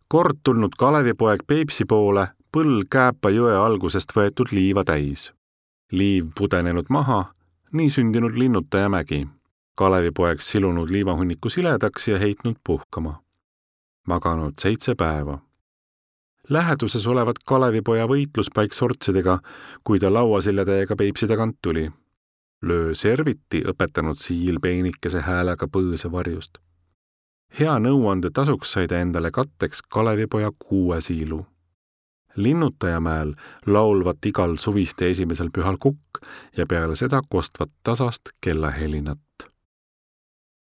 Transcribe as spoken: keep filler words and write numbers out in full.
Kord tulnud Kalevipoeg Peipsi poole põll Kääpa jõe algusest võetud liiva täis. Liiv pudenenud maha, nii sündinud Linnutajamägi. Kalevipoeg silunud liivahunniku siledaks ja heitnud puhkama. Maganud seitse päeva. Läheduses olevat Kalevipoja võitluspaik sortsidega, kui ta lauasiljatäiega Peipsi tagant tuli. Löö serviti õpetanud siil peenikese häälega põõse varjust. Hea nõuande tasuks sai ta endale katteks Kalevipoja kuue siilu. Linnutajamäel laulvat igal suviste esimesel pühal kukk ja peale seda kostvat tasast kellahelinat.